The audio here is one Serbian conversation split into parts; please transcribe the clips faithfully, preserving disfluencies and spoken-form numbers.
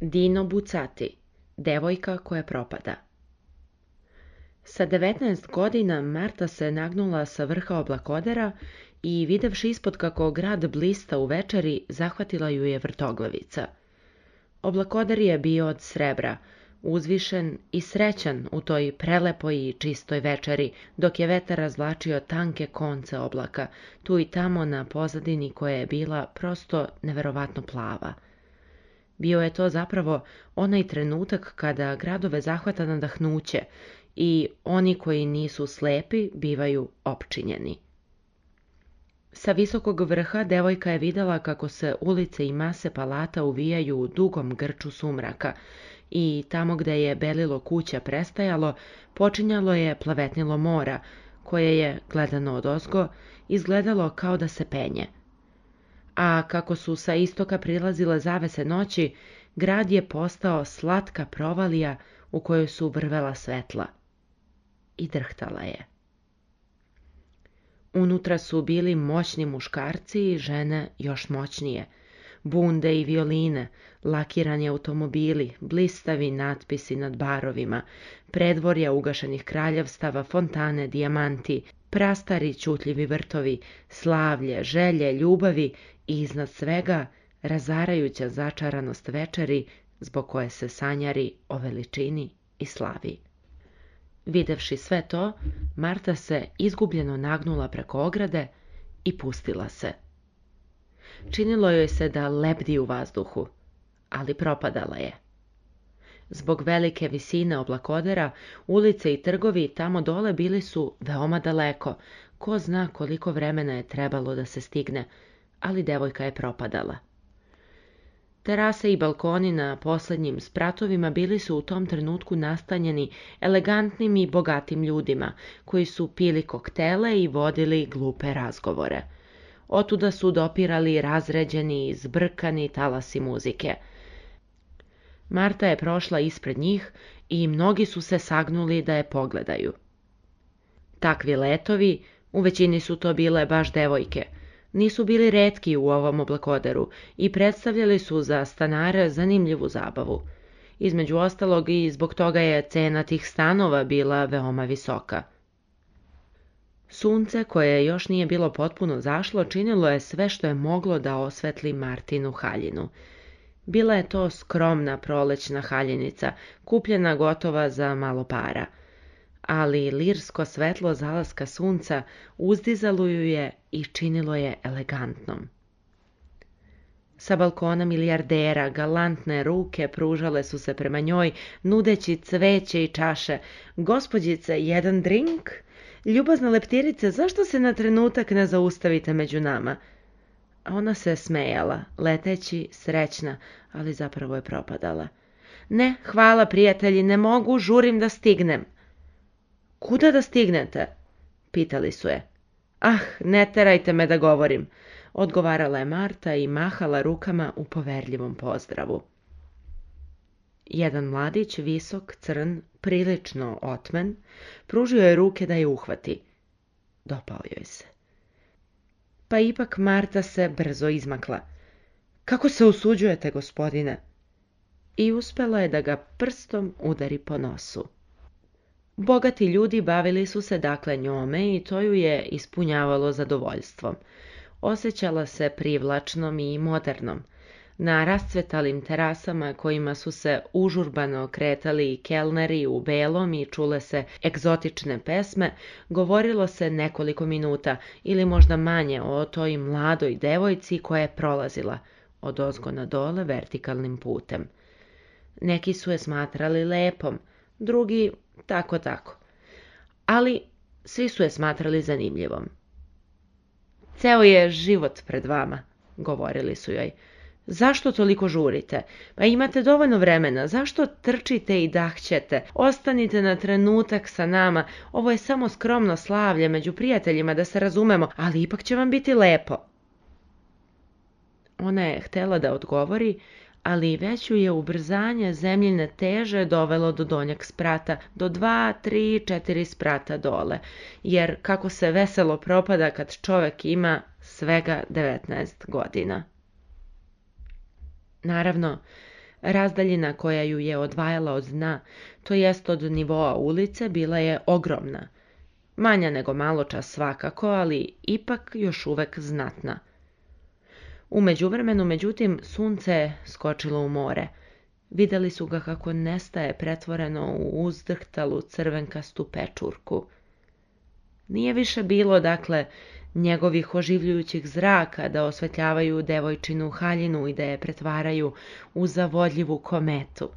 Dino Buzzati, devojka koja propada. Sa devetnaest godina Marta se nagnula sa vrha oblakodera i, videvši ispod kako grad blista u večeri, zahvatila ju je vrtoglavica. Oblakoder je bio od srebra, uzvišen i srećan u toj prelepoj i čistoj večeri, dok je vetar razvlačio tanke konce oblaka, tu i tamo na pozadini koja je bila prosto neverovatno plava. Bio je to zapravo onaj trenutak kada gradove zahvata nadahnuće i oni koji nisu slepi bivaju opčinjeni. Sa visokog vrha devojka je videla kako se ulice i mase palata uvijaju u dugom grču sumraka i tamo gde je belilo kuća prestajalo, počinjalo je plavetnilo mora, koje je, gledano odozgo, izgledalo kao da se penje. A kako su sa istoka prilazile zavese noći, grad je postao slatka provalija u kojoj su vrvela svetla. I drhtala je. Unutra su bili moćni muškarci i žene još moćnije. Bunde i violine, lakirani automobili, blistavi natpisi nad barovima, predvorja ugašenih kraljevstava, fontane, dijamanti, prastari ćutljivi vrtovi, slavlje, želje, ljubavi i iznad svega razarajuća začaranost večeri zbog koje se sanjari o veličini i slavi. Videvši sve to, Marta se izgubljeno nagnula preko ograde i pustila se. Činilo joj se da lebdi u vazduhu, ali propadala je. Zbog velike visine oblakodera, ulice i trgovi tamo dole bili su veoma daleko, ko zna koliko vremena je trebalo da se stigne, ali devojka je propadala. Terase i balkoni na poslednjim spratovima bili su u tom trenutku nastanjeni elegantnim i bogatim ljudima, koji su pili koktele i vodili glupe razgovore. Otuda su dopirali razređeni i zbrkani talasi muzike. Marta je prošla ispred njih i mnogi su se sagnuli da je pogledaju. Takvi letovi, u većini su to bile baš devojke, nisu bili retki u ovom oblakoderu i predstavljali su za stanare zanimljivu zabavu. Između ostalog i zbog toga je cena tih stanova bila veoma visoka. Sunce, koje još nije bilo potpuno zašlo, činilo je sve što je moglo da osvetli Martinu haljinu. Bila je to skromna prolećna haljenica, kupljena gotova za malo para. Ali lirsko svetlo zalaska sunca uzdizalo ju je i činilo je elegantnom. Sa balkona milijardera galantne ruke pružale su se prema njoj, nudeći cveće i čaše. Gospođice, jedan drink? Ljubazna leptirice, zašto se na trenutak ne zaustavite među nama? Ona se smejala, leteći, srećna, ali zapravo je propadala. Ne, hvala prijatelji, ne mogu, žurim da stignem. Kuda da stignete? Pitali su je. Ah, ne terajte me da govorim, odgovarala je Marta i mahala rukama u poverljivom pozdravu. Jedan mladić, visok, crn, prilično otmen, pružio je ruke da je uhvati. Dopao joj se. Pa ipak Marta se brzo izmakla. Kako se usuđujete, gospodine? I uspela je da ga prstom udari po nosu. Bogati ljudi bavili su se dakle njome i to ju je ispunjavalo zadovoljstvom. Osjećala se privlačnom i modernom. Na rascvetalim terasama kojima su se užurbano kretali kelneri u belom i čule se egzotične pesme, govorilo se nekoliko minuta ili možda manje o toj mladoj devojci koja je prolazila odozgo na dole vertikalnim putem. Neki su je smatrali lepom, drugi tako tako. Ali svi su je smatrali zanimljivom. Ceo je život pred vama, govorili su joj. Zašto toliko žurite? Pa imate dovoljno vremena, zašto trčite i dahćete? Ostanite na trenutak sa nama, ovo je samo skromno slavlje među prijateljima da se razumemo, ali ipak će vam biti lepo. Ona je htela da odgovori, ali već ju je ubrzanje zemljine teže dovelo do donjeg sprata, do dva, tri, četiri sprata dole, jer kako se veselo propada kad čovek ima svega devetnaest godina. Naravno, Razdaljina koja ju je odvajala od dna, to jest od nivoa ulice, bila je ogromna. Manja nego maločas svakako, ali ipak još uvek znatna. U međuvremenu, međutim, sunce je skočilo u more. Vidjeli su ga kako nestaje pretvoreno u uzdrhtalu crvenkastu pečurku. Nije više bilo, dakle, njegovih oživljujućih zraka da osvetljavaju devojčinu haljinu i da je pretvaraju u zavodljivu kometu.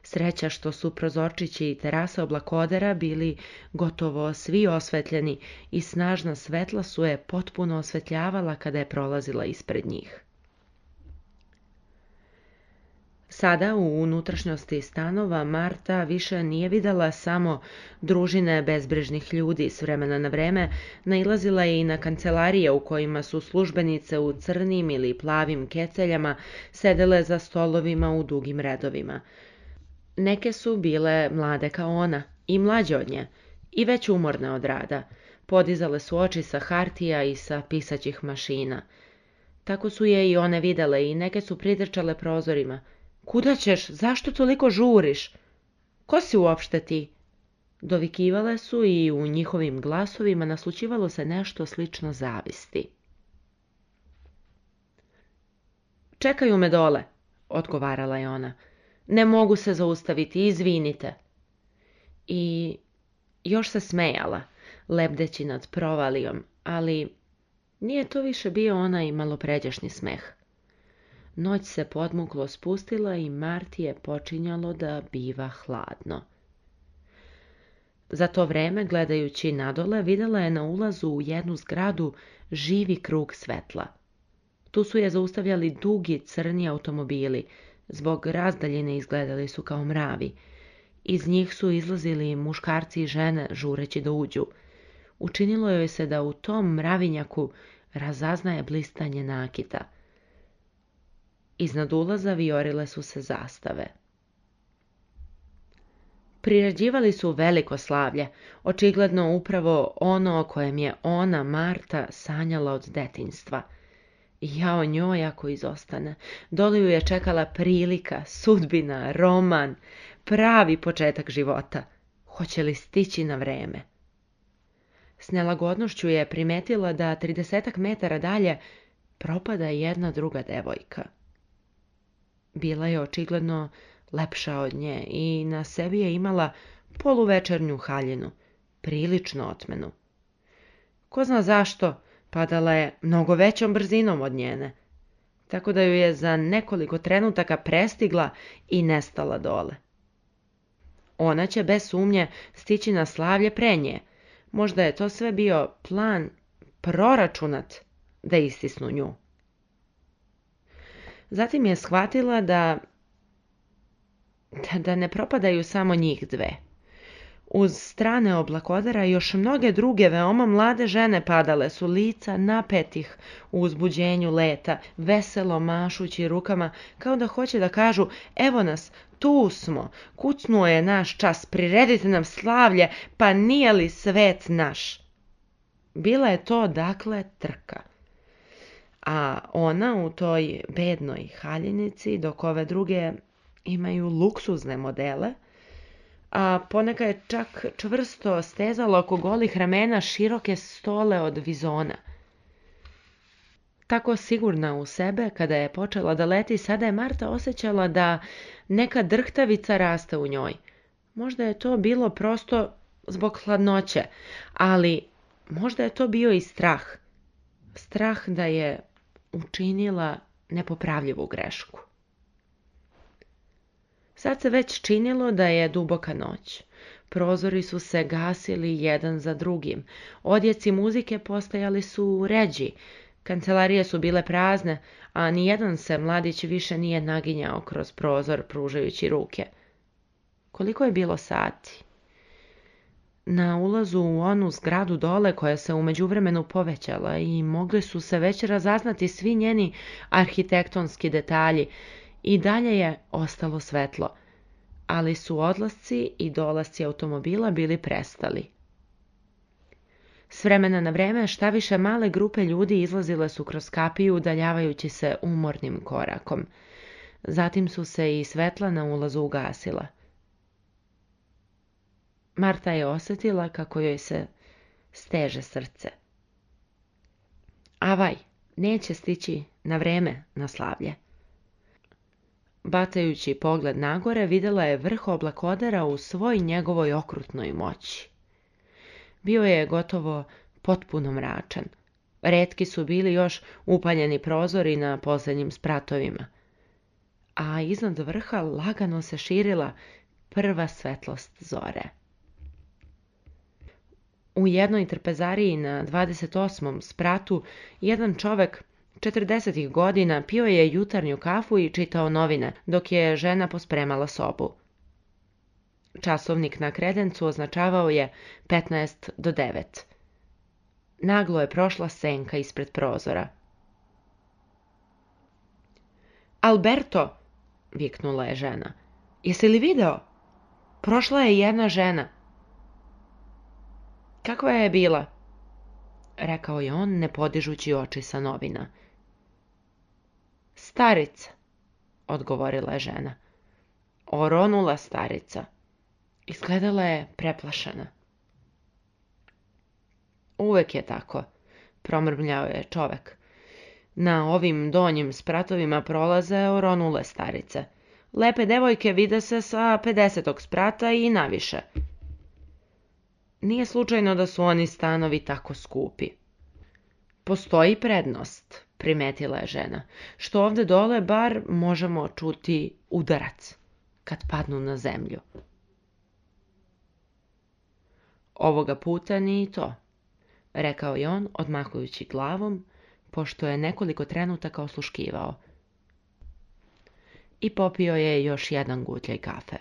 Sreća što su prozorčići i terase oblakodera bili gotovo svi osvetljeni i snažna svetla su je potpuno osvetljavala kada je prolazila ispred njih. Sada u unutrašnjosti stanova Marta više nije videla samo družine bezbrižnih ljudi. S vremena na vreme nailazila je i na kancelarije u kojima su službenice u crnim ili plavim keceljama sedele za stolovima u dugim redovima. Neke su bile mlade kao ona i mlađe od nje i već umorne od rada. Podizale su oči sa hartija i sa pisaćih mašina. Tako su je i one videle i neke su pritrčale prozorima. Kuda ćeš? Zašto toliko žuriš? Ko si uopšte ti? Dovikivale su i u njihovim glasovima naslućivalo se nešto slično zavisti. Čekaju me dole, odgovarala je ona. Ne mogu se zaustaviti, izvinite. I još se smejala, lebdeći nad provalijom, ali nije to više bio onaj malopređašnji smeh. Noć se podmuklo spustila i Marti je počinjalo da biva hladno. Za to vreme, gledajući nadole, videla je na ulazu u jednu zgradu živi krug svetla. Tu su je zaustavljali dugi crni automobili, zbog razdaljine izgledali su kao mravi. Iz njih su izlazili muškarci i žene žureći da uđu. Učinilo joj se da u tom mravinjaku razaznaje blistanje nakita. Iznad ulaza vijorile su se zastave. Priređivali su veliko slavlje, očigledno upravo ono o kojem je ona, Marta, sanjala od detinjstva. Jao njoj ako izostane. Dole ju je čekala prilika, sudbina, roman, pravi početak života. Hoće li stići na vreme? S nelagodnošću je primetila da tridesetak metara dalje propada jedna druga devojka. Bila je očigledno lepša od nje i na sebi je imala poluvečernju haljinu, prilično otmenu. Ko zna zašto, padala je mnogo većom brzinom od njene, tako da ju je za nekoliko trenutaka prestigla i nestala dole. Ona će bez sumnje stići na slavlje pre nje. Možda je to sve bio plan proračunat da istisnu nju. Zatim je shvatila da, da ne propadaju samo njih dve. Uz strane oblakodera još mnoge druge veoma mlade žene padale su, lica napetih u uzbuđenju leta, veselo mašući rukama, kao da hoće da kažu: evo nas, tu smo, kucnuo je naš čas, priredite nam slavlje, pa nije li svet naš? Bila je to, dakle, trka. A ona u toj bednoj haljinici, dok ove druge imaju luksuzne modele, a poneka je čak čvrsto stezala oko golih ramena široke stole od vizona. Tako sigurna u sebe, kada je počela da leti, sada je Marta osjećala da neka drhtavica raste u njoj. Možda je to bilo prosto zbog hladnoće, ali možda je to bio i strah. Strah da je učinila nepopravljivu grešku. Sad se već činilo da je duboka noć. Prozori su se gasili jedan za drugim. Odjeci muzike postajali su ređi. Kancelarije su bile prazne, a nijedan se mladić više nije naginjao kroz prozor pružajući ruke. Koliko je bilo sati? Na ulazu u onu zgradu dole, koja se u međuvremenu povećala i mogli su se već razaznati svi njeni arhitektonski detalji, i dalje je ostalo svetlo, ali su odlasci i dolasci automobila bili prestali. S vremena na vreme šta više male grupe ljudi izlazile su kroz kapiju udaljavajući se umornim korakom. Zatim su se i svetla na ulazu ugasila. Marta je osjetila kako joj se steže srce. Avaj, neće stići na vreme na slavlje. Batajući pogled nagore, vidjela je vrh oblakodera u svoj njegovoj okrutnoj moći. Bio je gotovo potpuno mračan. Retki su bili još upaljeni prozori na posljednjim spratovima, a iznad vrha lagano se širila prva svetlost zore. U jednoj trpezariji na dvadeset osmom spratu jedan čovek četrdesetih godina pio je jutarnju kafu i čitao novine, dok je žena pospremala sobu. Časovnik na kredencu označavao je petnaest do devet. Naglo je prošla senka ispred prozora. Alberto, viknula je žena, jesi li video? Prošla je jedna žena. Kakva je bila? Rekao je on, ne podižući oči sa novina. Starica, odgovorila je žena. Oronula starica. Izgledala je preplašena. Uvek je tako, promrmljao je čovek. Na ovim donjim spratovima prolaze oronule starice. Lepe devojke vide se sa pedesetog sprata i naviše. Nije slučajno da su oni stanovi tako skupi. Postoji prednost, primetila je žena, što ovde dole bar možemo čuti udarac kad padnu na zemlju. Ovoga puta ni to, rekao je on, odmahujući glavom, pošto je nekoliko trenutaka osluškivao. I popio je još jedan gutljaj kafe.